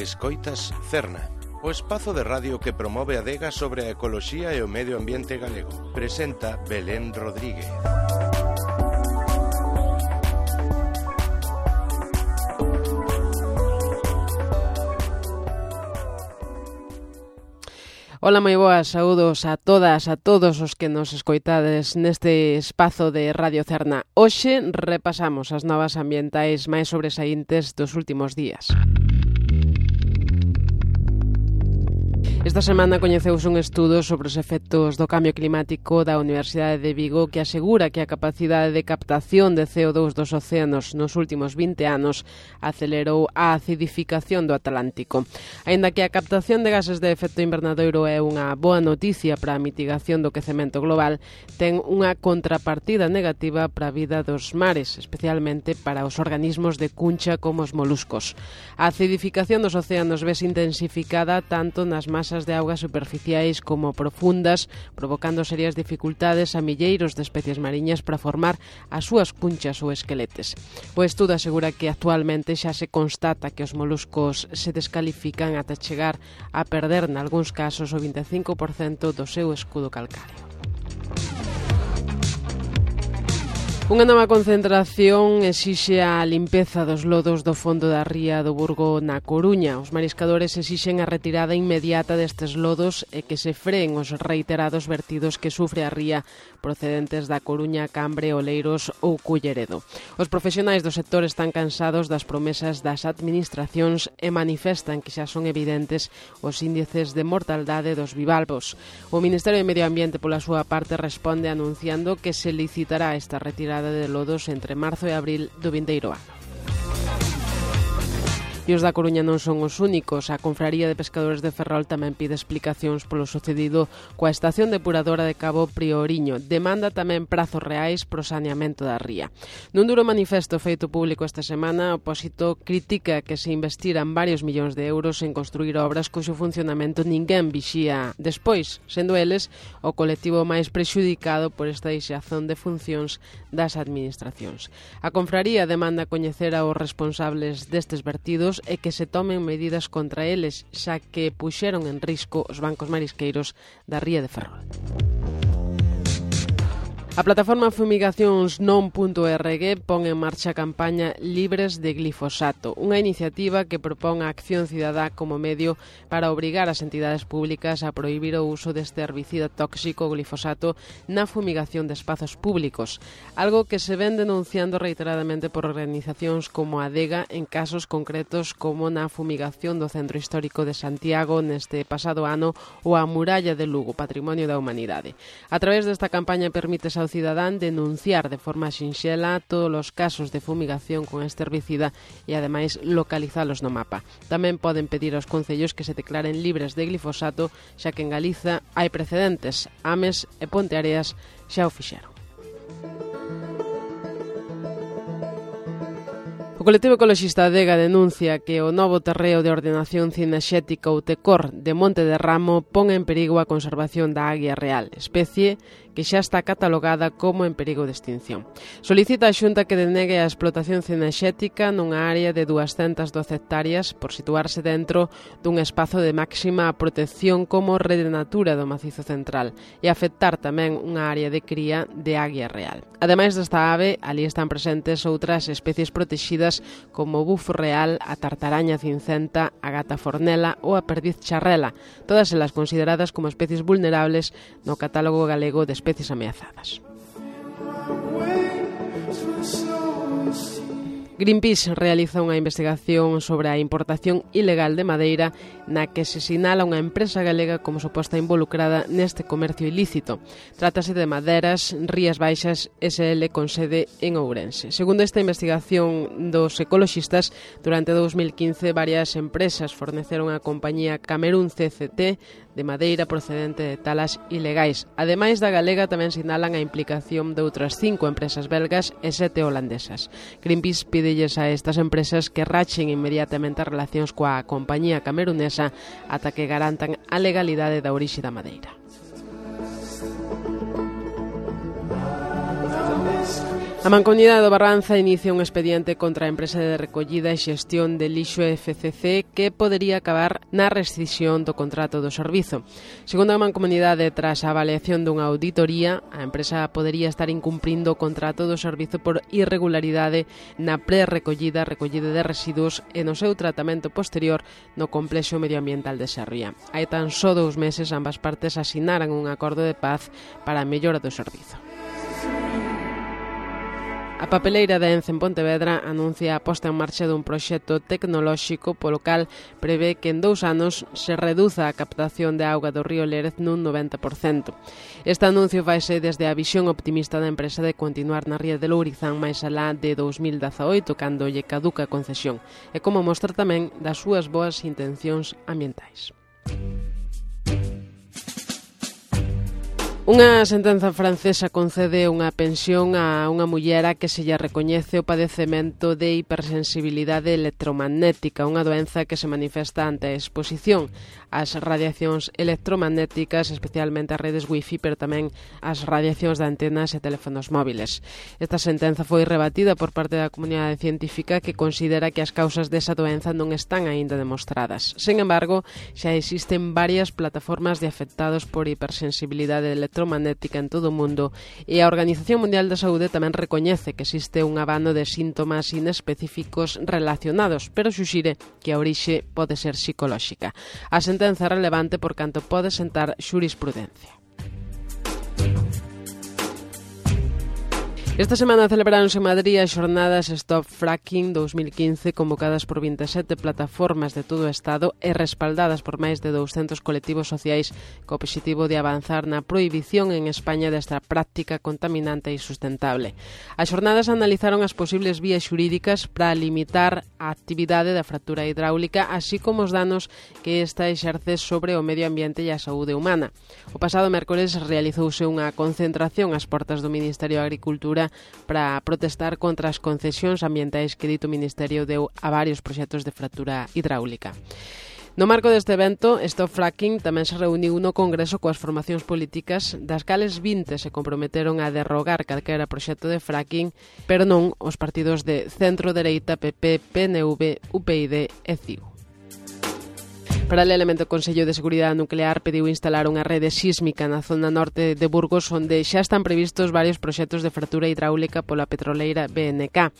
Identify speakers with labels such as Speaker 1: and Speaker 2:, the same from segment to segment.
Speaker 1: Escoitas Cerna, o espazo de radio que promove a adega sobre a ecoloxía e o medio ambiente galego. Presenta Belén Rodríguez.
Speaker 2: Ola, moi boas, saúdos a todas, a todos os que nos escoitades neste espazo de Radio Cerna. Hoxe repasamos as novas ambientais máis sobresaíntes dos últimos días. Esta semana coñeceuse un estudo sobre os efectos do cambio climático da Universidade de Vigo que asegura que a capacidade de captación de CO2 dos océanos nos últimos 20 anos acelerou a acidificación do Atlántico. Aínda que a captación de gases de efecto invernadoiro é unha boa noticia para a mitigación do quecemento global, ten unha contrapartida negativa para a vida dos mares, especialmente para os organismos de cuncha como os moluscos. A acidificación dos océanos vese intensificada tanto nas masas de augas superficiais como profundas, provocando serias dificultades a milleiros de especies mariñas para formar as súas cunchas ou esqueletes. O estudo asegura que actualmente xa se constata que os moluscos se descalifican ata chegar a perder nalgúns casos o 25% do seu escudo calcáreo. Unha nova concentración exixe a limpeza dos lodos do fondo da ría do Burgo na Coruña. Os mariscadores exixen a retirada inmediata destes lodos e que se freen os reiterados vertidos que sufre a ría procedentes da Coruña, Cambre, Oleiros ou Culleredo. Os profesionais do sector están cansados das promesas das administracións e manifestan que xa son evidentes os índices de mortaldade dos bivalvos. O Ministerio de Medio Ambiente, pola súa parte, responde anunciando que se licitará esta retirada de lodos entre marzo e abril do vindeiro ano. E os da Coruña non son os únicos. A Confraría de Pescadores de Ferrol tamén pide explicacións polo sucedido coa estación depuradora de Cabo Prioriño. Demanda tamén prazos reais pro saneamento da ría. Nun duro manifesto feito público esta semana, o Opósito critica que se investiran varios millóns de euros en construir obras cuxo funcionamento ninguén vixía despois, sendo eles o colectivo máis prexudicado por esta deixazón de funcións das administracións. A Confraría demanda coñecer aos responsables destes vertidos e que se tomen medidas contra eles, xa que puxeron en risco os bancos marisqueiros da ría de Ferrol. A plataforma fumigacións.non.org pon en marcha a campaña Libres de Glifosato, unha iniciativa que propón a acción cidadá como medio para obrigar as entidades públicas a prohibir o uso deste herbicida tóxico glifosato na fumigación de espazos públicos, algo que se ven denunciando reiteradamente por organizacións como a Adega en casos concretos como na fumigación do Centro Histórico de Santiago neste pasado ano ou a Muralla de Lugo, Patrimonio da Humanidade. A través desta campaña permítese ao cidadán denunciar de forma sinxela todos os casos de fumigación con este herbicida e ademais localizalos no mapa. Tamén poden pedir aos concellos que se declaren libres de glifosato, xa que en Galiza hai precedentes. Ames e Ponteareas xa o fixeron. O colectivo ecoloxista Adega denuncia que o novo terreo de ordenación cinexética ou TECOR de Monte de Ramo pon en perigo a conservación da águia real, especie que xa está catalogada como en perigo de extinción. Solicita a Xunta que denegue a explotación cinexética nunha área de 212 hectáreas por situarse dentro dun espazo de máxima protección como Rede Natura do Macizo Central e afectar tamén unha área de cría de águia real. Ademais desta ave, ali están presentes outras especies protegidas como o bufo real, a tartaraña cincenta, a gata fornela ou a perdiz charrela, todas elas consideradas como especies vulnerables no catálogo galego de especies ameazadas. Greenpeace realiza unha investigación sobre a importación ilegal de madeira na que se sinala unha empresa galega como suposta involucrada neste comercio ilícito. Trátase de Maderas Rías Baixas SL con sede en Ourense. Segundo esta investigación dos ecoloxistas, durante 2015 varias empresas forneceron á compañía Camerún CCT de madeira procedente de talas ilegais. Ademais da galega, tamén sinalan a implicación de outras 5 empresas belgas e 7 holandesas. Greenpeace pídelles a estas empresas que rachen inmediatamente as relacións coa compañía camerunesa ata que garantan a legalidade da orixe da madeira. A Mancomunidade do Barbanza inicia un expediente contra a empresa de recollida e xestión de lixo FCC que podería acabar na rescisión do contrato do servizo. Segundo a Mancomunidade, tras a avaliación dunha auditoría, a empresa podería estar incumprindo o contrato do servizo por irregularidade na pre-recollida, recollida de residuos e no seu tratamento posterior no complexo medioambiental de Sarria. Hai tan só 2 meses ambas partes asinaran un acordo de paz para a mellora do servizo. A papeleira de Ence en Pontevedra anuncia a posta en marcha dun proxecto tecnolóxico polo cal prevé que en 2 anos se reduza a captación de auga do río Lérez nun 90%. Este anuncio faise desde a visión optimista da empresa de continuar na ría de Lourizán máis alá de 2018, cando lle caduca a concesión, e como mostra tamén das súas boas intencións ambientais. Unha sentenza francesa concede unha pensión a unha mullera que se lle recoñece o padecemento de hipersensibilidade electromagnética, unha doenza que se manifesta ante a exposición ás radiacións electromagnéticas, especialmente as redes wifi, pero tamén as radiacións de antenas e teléfonos móviles. Esta sentenza foi rebatida por parte da comunidade científica que considera que as causas desa doenza non están aínda demostradas. Sen embargo, xa existen varias plataformas de afectados por hipersensibilidade electromagnética en todo o mundo e a Organización Mundial da Saúde tamén recoñece que existe un abano de síntomas inespecíficos relacionados, pero suxire que a orixe pode ser psicolóxica. A sentenza é relevante por canto pode sentar xurisprudencia. Esta semana celebráronse en Madrid as xornadas Stop Fracking 2015 convocadas por 27 plataformas de todo o Estado e respaldadas por máis de 200 colectivos sociais co obxectivo de avanzar na prohibición en España desta práctica contaminante e sustentable. As xornadas analizaron as posibles vías xurídicas para limitar a actividade da fractura hidráulica, así como os danos que esta exerce sobre o medio ambiente e a saúde humana. O pasado mércores realizouse unha concentración ás portas do Ministerio de Agricultura para protestar contra as concesións ambientais que dito Ministerio deu a varios proxectos de fractura hidráulica. No marco deste evento, Stop Fracking tamén se reuniu no Congreso coas formacións políticas, das cales 20 se comprometeron a derrogar calquera proxecto de fracking, pero non os partidos de centro-dereita, PP, PNV, UPyD e CiU. Paralelamente, o Consello de Seguridade Nuclear pediu instalar unha rede sísmica na zona norte de Burgos, onde xa están previstos varios proxectos de fractura hidráulica pola petroleira BNK.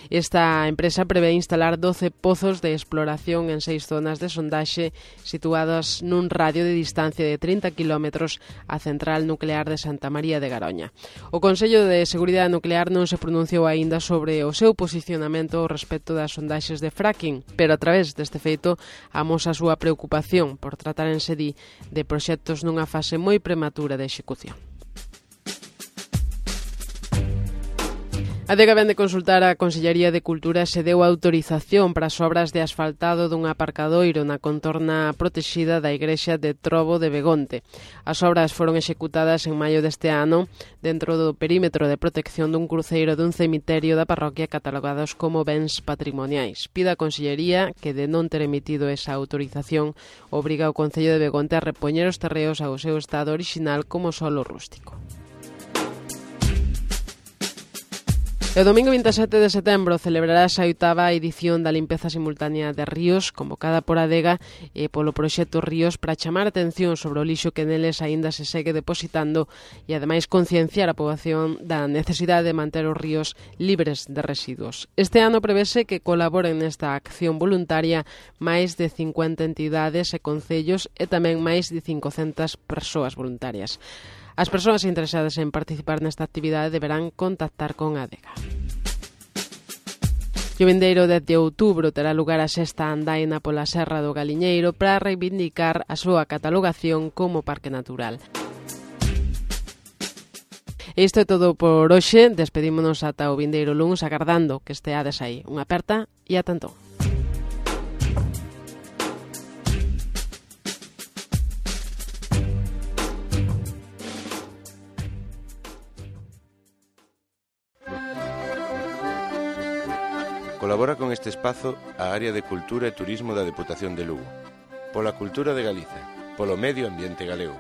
Speaker 2: Esta empresa prevé instalar 12 pozos de exploración en 6 zonas de sondaxe situadas nun radio de distancia de 30 km á central nuclear de Santa María de Garoña. O Consello de Seguridade Nuclear non se pronunciou aínda sobre o seu posicionamento ao respecto das sondaxes de fracking, pero a través deste feito amosa a súa preocupación por tratárense de proxectos nunha fase moi prematura de execución. A Adega vén de consultar a Consellería de Cultura se deu autorización para as obras de asfaltado dun aparcadoiro na contorna protexida da igrexa de Trobo de Begonte. As obras foron executadas en maio deste ano dentro do perímetro de protección dun cruceiro dun cemiterio da parroquia catalogados como bens patrimoniais. Pide a Consellería que, de non ter emitido esa autorización, obriga o Concello de Begonte a repoñer os terreos ao seu estado orixinal como solo rústico. O domingo 27 de setembro celebrarase a 8ª edición da limpeza simultánea de ríos convocada por Adega e polo proxecto Ríos para chamar a atención sobre o lixo que neles aínda se segue depositando e ademais concienciar a poboación da necesidade de manter os ríos libres de residuos. Este ano prevese que colaboren nesta acción voluntaria máis de 50 entidades e concellos e tamén máis de 500 persoas voluntarias. As persoas interesadas en participar nesta actividade deberán contactar con Adega. O vindeiro 10 de outubro terá lugar a 6ª andaina pola Serra do Galiñeiro para reivindicar a súa catalogación como parque natural. Isto é todo por hoxe. Despedímonos ata o vindeiro luns agardando que esteades aí. Unha aperta e ata entón.
Speaker 1: Colabora con este espazo a Área de Cultura e Turismo da Deputación de Lugo. Pola cultura de Galiza, polo medio ambiente galego.